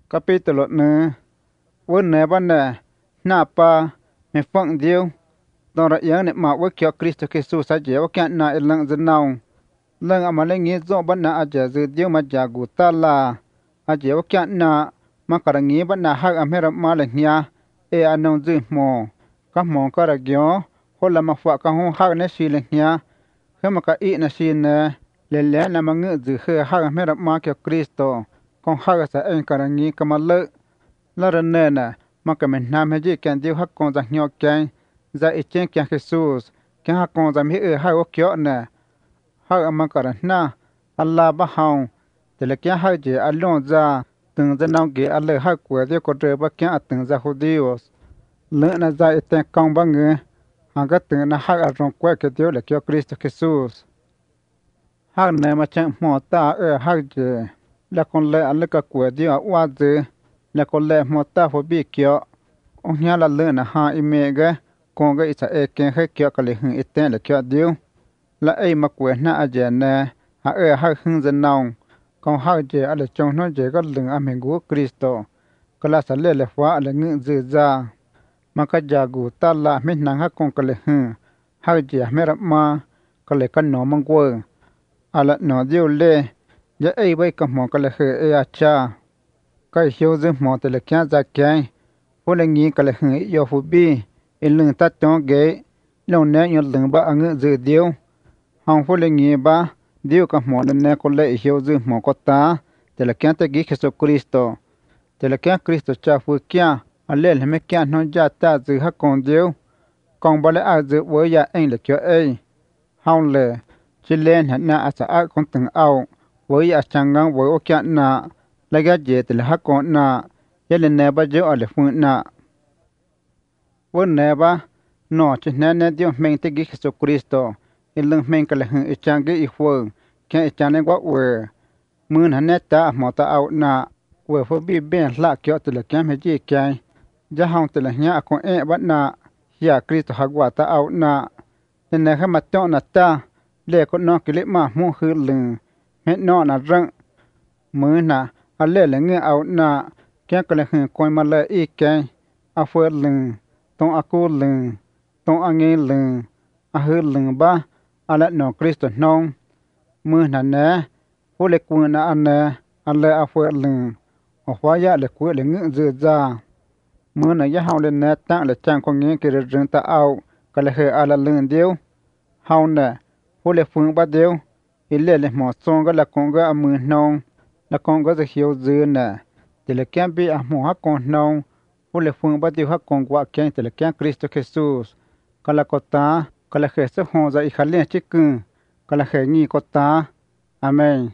Capítulo 1. Vốn nè ban nè na pa me phăng diêu tao ra yang nè mà với kiểu Christ Jesus sa dễ với cái na lăng dân nào lăng ama lên nghe rõ ban na aja dự diêu mà giả gu ta là aja với cái na mà cả nghe ban na hak amera mà lên nha e anong dư mò các mò cả gió hoặc là mà phạ các hông hak nè xì lên nha khi mà cái ý nè xì nè lẽ là mà ngự dự khơi hak amera mà kiểu Christo con hak sa anh cả nghe cái mà lỡ la rene na ma ka men nam he ji kan diu hak kon za nyo kan za e chen kan Jesus kan hak kon za mi e ha o kyo na ha ma ka na Allah ba haung de le kya ha je alon za từng za nong ge alle ha kwa de ko tre ba kya từng za judíos le na za e ten kong ba nge ha ga từng na ha a ron kwa ke dio le kyo Cristo Jesus ha na ma chen mo ta e ha je la kon le alle ka kwa dio wa de là con lẽ một ta phải biết kiểu ông nhà là lỡ na ha ime cái con cái ít sẽ kén hết kiểu cái lẽ hưng ít tên là kiểu điêu là ai mà quên na aje nè ha ha hưng dân nong con ha je ở trong nó je cái lưng am hình của Cristo cái là sẽ lẽ hóa là ngự dự ra mà cái gia gu ta là mình năng ha con cái lẽ hưng ha je mẹ mà cái lẽ cái nó mang quơ à là nó điêu lẽ giờ ai bây cái mỏ cái lẽ hơi ai cha cái hiếu dư mò từ là kia ra kia phụ là nghĩ cái là hưng yêu phụ bi in lưng tát chó ghế lâu nè nhớ lưng ba ăn ngự dư điêu hòng phụ là nghĩ ba điêu cái mò nè có lệ hiếu dư mò có ta từ là kia tới ghi Jesus Christo từ là kia Cristo cha phụ kia anh lên làm kia nó ra ta dư hắc con điêu còn ba lại ai dư với nhà anh là kia ấy hòng lệ chỉ lên hẳn na asa con từng ao với nhà chẳng ngang với ô kia na la ga je te ha ko na yele ne ba je ale fu na wo ne ba no che ne ne dio men te gi Jesus Cristo il leng men ka le hu chang ge i fu ke chang ne wa we mun han ne ta mo ta au na we fu bi ben la kyo te le kam he ji kai ja hong te le nya ko e ba na ya Cristo ha wa ta au na ne ha ma to na ta le ko no ki le ma mu hu leng me no na rang mun na alle le nge au na kya kale hn koi ma le I ke a fu leng ton a ku leng ton a nge leng a hu leng ba ala no Cristo nong mu na ne fu le ku na an ne alle a fu leng o hwa ya le ku le nge zu za mu na ya haw le ne ta le chang ko nge ke reng ta au kale he ala leng diu haw ne fu le fu ba diu ile le mo song ga la kong ga mu nong là con có thể hiểu dư nè thì là cái bị à mua con nông hoặc là phương bắt đầu con qua cái thì là cái Cristo Jesus cái là có ta cái là khởi sự hồn dậy khởi lên chỉ cưng cái là khởi nghi có ta amen.